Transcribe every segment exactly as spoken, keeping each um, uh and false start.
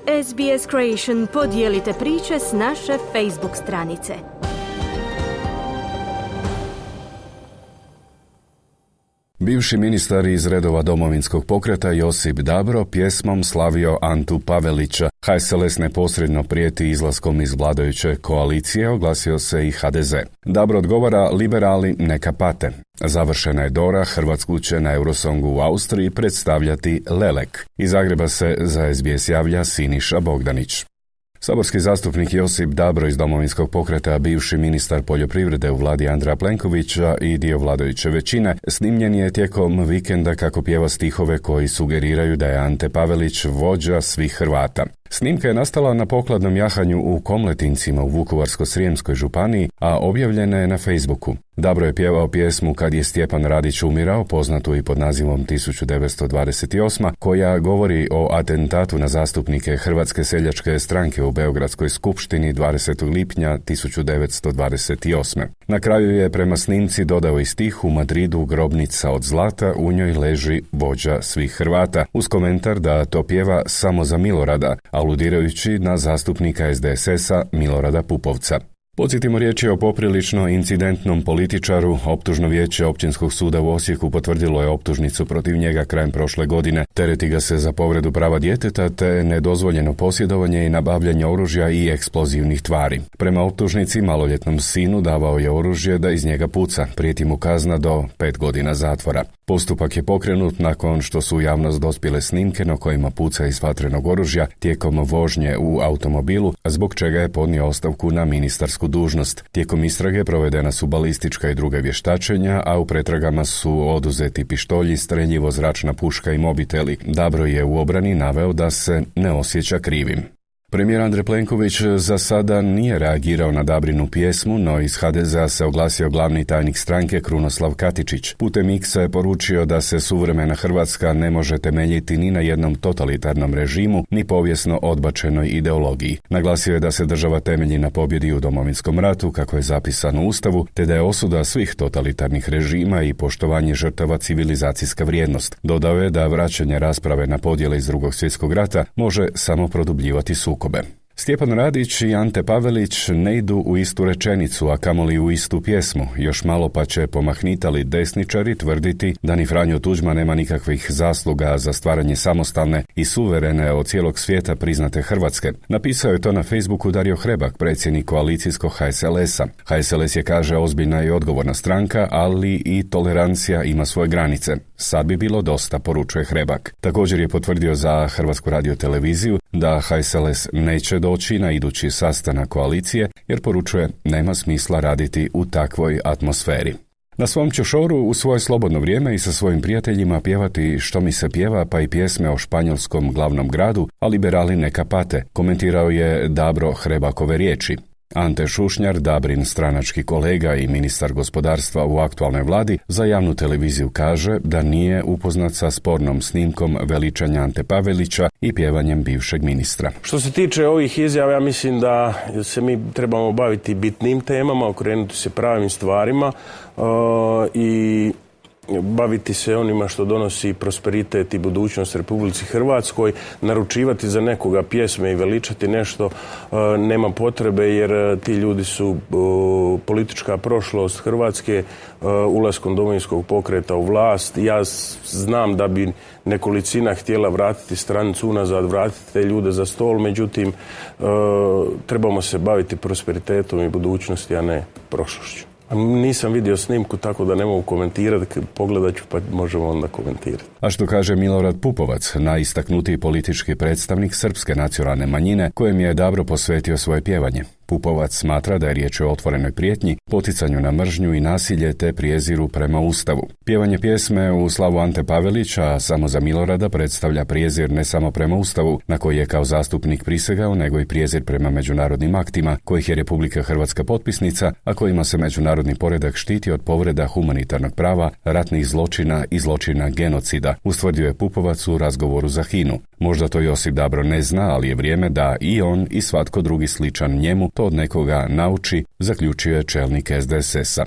S B S Creation podijelite priče s naše Facebook stranice. Bivši ministar iz redova Domovinskog pokreta Josip Dabro pjesmom slavio Antu Pavelića. H S L S neposredno prijeti izlaskom iz vladajuće koalicije, oglasio se i H D Z. Dabro odgovara: liberali neka pate. Završena je Dora, Hrvatsku će na Eurosongu u Austriji predstavljati Lelek. Iz Zagreba se za S B S javlja Siniša Bogdanić. Saborski zastupnik Josip Dabro iz Domovinskog pokreta, bivši ministar poljoprivrede u vladi Andreja Plenkovića i dio vladajuće većine, snimljen je tijekom vikenda kako pjeva stihove koji sugeriraju da je Ante Pavelić vođa svih Hrvata. Snimka je nastala na pokladnom jahanju u Komletincima u Vukovarsko-srijemskoj županiji, a objavljena je na Facebooku. Dabro je pjevao pjesmu Kad je Stjepan Radić umirao, poznatu i pod nazivom tisuću devetsto dvadeset osma, koja govori o atentatu na zastupnike Hrvatske seljačke stranke u Beogradskoj skupštini dvadesetog lipnja tisuću devetsto dvadeset osme. Na kraju je prema snimci dodao i stih: u Madridu grobnica od zlata, u njoj leži vođa svih Hrvata, uz komentar da to pjeva samo za Milorada, aludirajući na zastupnika S D S S-a Milorada Pupovca. Podsjetimo, riječ je o poprilično incidentnom političaru. Optužno vijeće Općinskog suda u Osijeku potvrdilo je optužnicu protiv njega krajem prošle godine. Tereti ga se za povredu prava djeteta te nedozvoljeno posjedovanje i nabavljanje oružja i eksplozivnih tvari. Prema optužnici, maloljetnom sinu davao je oružje da iz njega puca. Prijeti mu kazna do pet godina zatvora. Postupak je pokrenut nakon što su u javnost dospjele snimke na kojima puca iz vatrenog oružja tijekom vožnje u automobilu, zbog čega je podnio ostavku na ministarsku dužnost. Tijekom istrage provedena su balistička i druga vještačenja, a u pretragama su oduzeti pištolji, streljivo, zračna puška i mobiteli. Dabro je u obrani naveo da se ne osjeća krivim. Premijer Andrej Plenković za sada nije reagirao na Dabrinu pjesmu, no iz H D Z-a se oglasio glavni tajnik stranke Krunoslav Katičić. Putem X-a je poručio da se suvremena Hrvatska ne može temeljiti ni na jednom totalitarnom režimu, ni povijesno odbačenoj ideologiji. Naglasio je da se država temelji na pobjedi u Domovinskom ratu, kako je zapisano u Ustavu, te da je osuda svih totalitarnih režima i poštovanje žrtava civilizacijska vrijednost. Dodao je da vraćanje rasprave na podjele iz Drugog svjetskog rata može samo produbljivati sukob. Stjepan Radić i Ante Pavelić ne idu u istu rečenicu, a kamoli u istu pjesmu. Još malo pa će pomahnitali desničari tvrditi da ni Franjo Tuđman nema nikakvih zasluga za stvaranje samostalne i suverene od cijelog svijeta priznate Hrvatske. Napisao je to na Facebooku Dario Hrebak, predsjednik koalicijskog H S L S-a. H S L S je, kaže, ozbiljna i odgovorna stranka, ali i tolerancija ima svoje granice. Sad bi bilo dosta, poručuje Hrebak. Također je potvrdio za Hrvatsku radioteleviziju da H S L S neće doći na idući sastanak koalicije, jer, poručuje, nema smisla raditi u takvoj atmosferi. Na svom će šoru u svoje slobodno vrijeme i sa svojim prijateljima pjevati Što mi se pjeva, pa i pjesme o španjolskom glavnom gradu, a liberali neka pate, komentirao je Dabro Hrebakove riječi. Ante Šušnjar, Dabrin stranački kolega i ministar gospodarstva u aktualnoj vladi, za javnu televiziju kaže da nije upoznat sa spornom snimkom veličanja Ante Pavelića i pjevanjem bivšeg ministra. Što se tiče ovih izjava, ja mislim da se mi trebamo baviti bitnim temama, okrenuti se pravim stvarima uh, i baviti se onima što donosi prosperitet i budućnost Republici Hrvatskoj. Naručivati za nekoga pjesme i veličati nešto uh, nema potrebe, jer ti ljudi su uh, politička prošlost Hrvatske uh, ulaskom Domovinskog pokreta u vlast. Ja znam da bi nekolicina htjela vratiti stranicu unazad, vratiti te ljude za stol, međutim uh, trebamo se baviti prosperitetom i budućnosti, a ne prošlošću. Nisam vidio snimku, tako da ne mogu komentirati, pogledat ću pa možemo onda komentirati. A što kaže Milorad Pupovac, najistaknutiji politički predstavnik srpske nacionalne manjine, kojem je Dabro posvetio svoje pjevanje? Pupovac smatra da je riječ o otvorenoj prijetnji, poticanju na mržnju i nasilje te prijeziru prema Ustavu. Pjevanje pjesme u slavu Ante Pavelića, samo za Milorada, predstavlja prijezir ne samo prema Ustavu, na koji je kao zastupnik prisegao, nego i prijezir prema međunarodnim aktima, kojih je Republika Hrvatska potpisnica, a kojima se međunarodni poredak štiti od povreda humanitarnog prava, ratnih zločina i zločina genocida, ustvrdio je Pupovac u razgovoru za Hinu. Možda to Josip Dabro ne zna, ali je vrijeme da i on i svatko drugi sličan njemu to od nekoga nauči, zaključio je čelnik S D S S-a.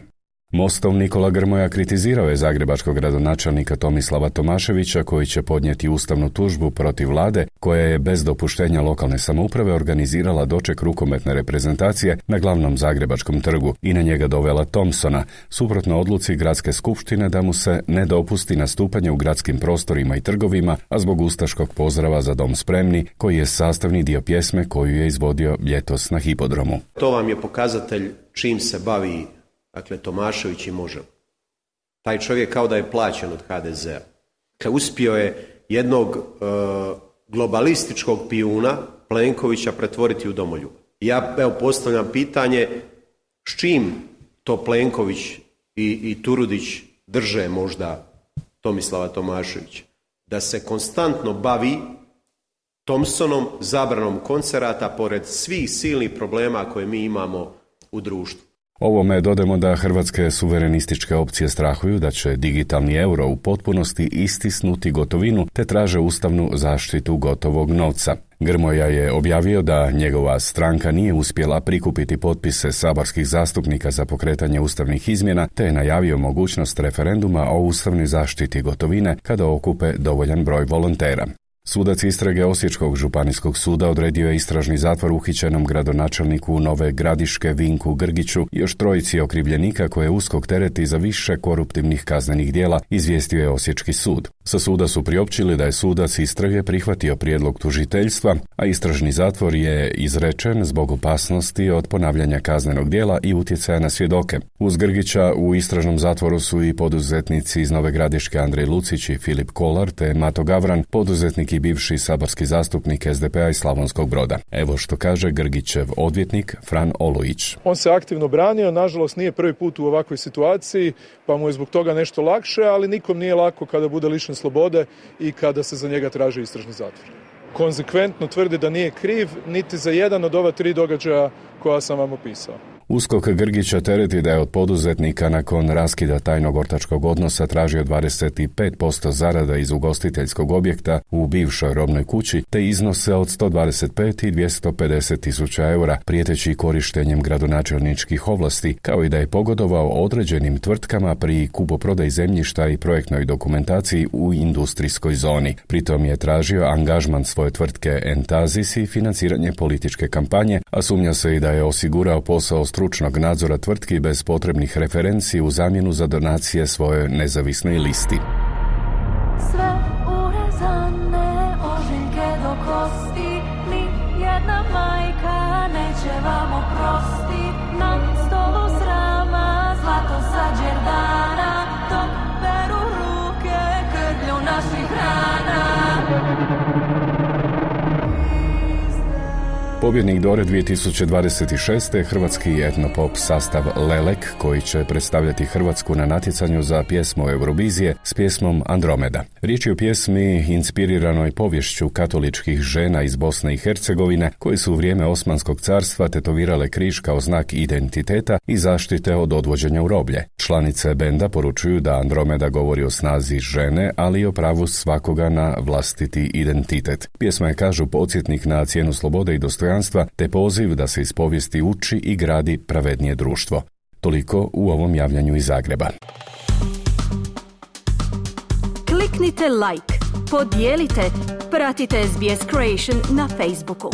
Mostov Nikola Grmoja kritizirao je zagrebačkog gradonačelnika Tomislava Tomaševića koji će podnijeti ustavnu tužbu protiv vlade koja je bez dopuštenja lokalne samouprave organizirala doček rukometne reprezentacije na glavnom zagrebačkom trgu i na njega dovela Thompsona, suprotno odluci gradske skupštine da mu se ne dopusti nastupanje u gradskim prostorima i trgovima, a zbog ustaškog pozdrava Za dom spremni, koji je sastavni dio pjesme koju je izvodio ljetos na hipodromu. To vam je pokazatelj čim se bavi, dakle, Tomašević i Možemo. Taj čovjek kao da je plaćen od ha de zea. Dakle, uspio je jednog e, globalističkog pijuna Plenkovića pretvoriti u domoljuba. Ja evo postavljam pitanje s čim to Plenković i, i Turudić drže možda Tomislava Tomaševića? Da se konstantno bavi Thompsonom, zabranom koncerata pored svih silnih problema koje mi imamo u društvu. Ovome dodamo da hrvatske suverenističke opcije strahuju da će digitalni euro u potpunosti istisnuti gotovinu te traže ustavnu zaštitu gotovog novca. Grmoja je objavio da njegova stranka nije uspjela prikupiti potpise saborskih zastupnika za pokretanje ustavnih izmjena te je najavio mogućnost referenduma o ustavnoj zaštiti gotovine kada okupe dovoljan broj volontera. Sudac istrage Osječkog županijskog suda odredio je istražni zatvor uhićenom gradonačelniku Nove Gradiške Vinku Grgiću i još trojici okrivljenika koje USKOK tereti za više koruptivnih kaznenih djela, izvijestio je Osječki sud. Sa suda su priopćili da je sudac istrage prihvatio prijedlog tužiteljstva, a istražni zatvor je izrečen zbog opasnosti od ponavljanja kaznenog djela i utjecaja na svjedoke. Uz Grgića u istražnom zatvoru su i poduzetnici iz Nove Gradiške Andrej Lucić i Filip Kolar te Mato Gavran, poduzetnik i bivši saborski zastupnik es de pe a iz Slavonskog Broda. Evo što kaže Grgićev odvjetnik Fran Olujić. On se aktivno branio, nažalost nije prvi put u ovakvoj situaciji, pa mu je zbog toga nešto lakše, ali nikom nije lako kada bude lišen slobode i kada se za njega traži istražni zatvor. Konzekventno tvrdi da nije kriv niti za jedan od ova tri događaja koja sam vam opisao. USKOK Grgića tereti da je od poduzetnika nakon raskida tajnog ortačkog odnosa tražio dvadeset pet posto zarada iz ugostiteljskog objekta u bivšoj robnoj kući te iznose od sto dvadeset pet i dvjesto pedeset tisuća eura, prijeteći korištenjem gradonačelničkih ovlasti, kao i da je pogodovao određenim tvrtkama pri kupoprodaji zemljišta i projektnoj dokumentaciji u industrijskoj zoni. Pritom je tražio angažman svoje tvrtke Entazis i financiranje političke kampanje, a sumnja se i da je osigurao posao stručnog nadzora tvrtki bez potrebnih referenci u zamjenu za donacije svojoj nezavisnoj listi. Sve urezane ožiljke do kosti, ni jedna majka neće vam oprosti. Na stolu srama zlato sa džerdana, dok peru ruke krvlju naših rana. Pobjednik Dore dvije tisuće dvadeset šeste. hrvatski etnopop sastav Lelek, koji će predstavljati Hrvatsku na natjecanju za pjesmu Eurovizije s pjesmom Andromeda. Riječ je o pjesmi inspiriranoj povješću katoličkih žena iz Bosne i Hercegovine, koje su u vrijeme Osmanskog carstva tetovirale križ kao znak identiteta i zaštite od odvođenja u roblje. Članice benda poručuju da Andromeda govori o snazi žene, ali i o pravu svakoga na vlastiti identitet. Pjesma je, kažu, podsjetnik na cijenu slobode i dostojanstva te poziv da se iz povijesti uči i gradi pravednije društvo. Toliko u ovom javljanju iz Zagreba. Kliknite like, podijelite, pratite es be es Creation na Facebooku.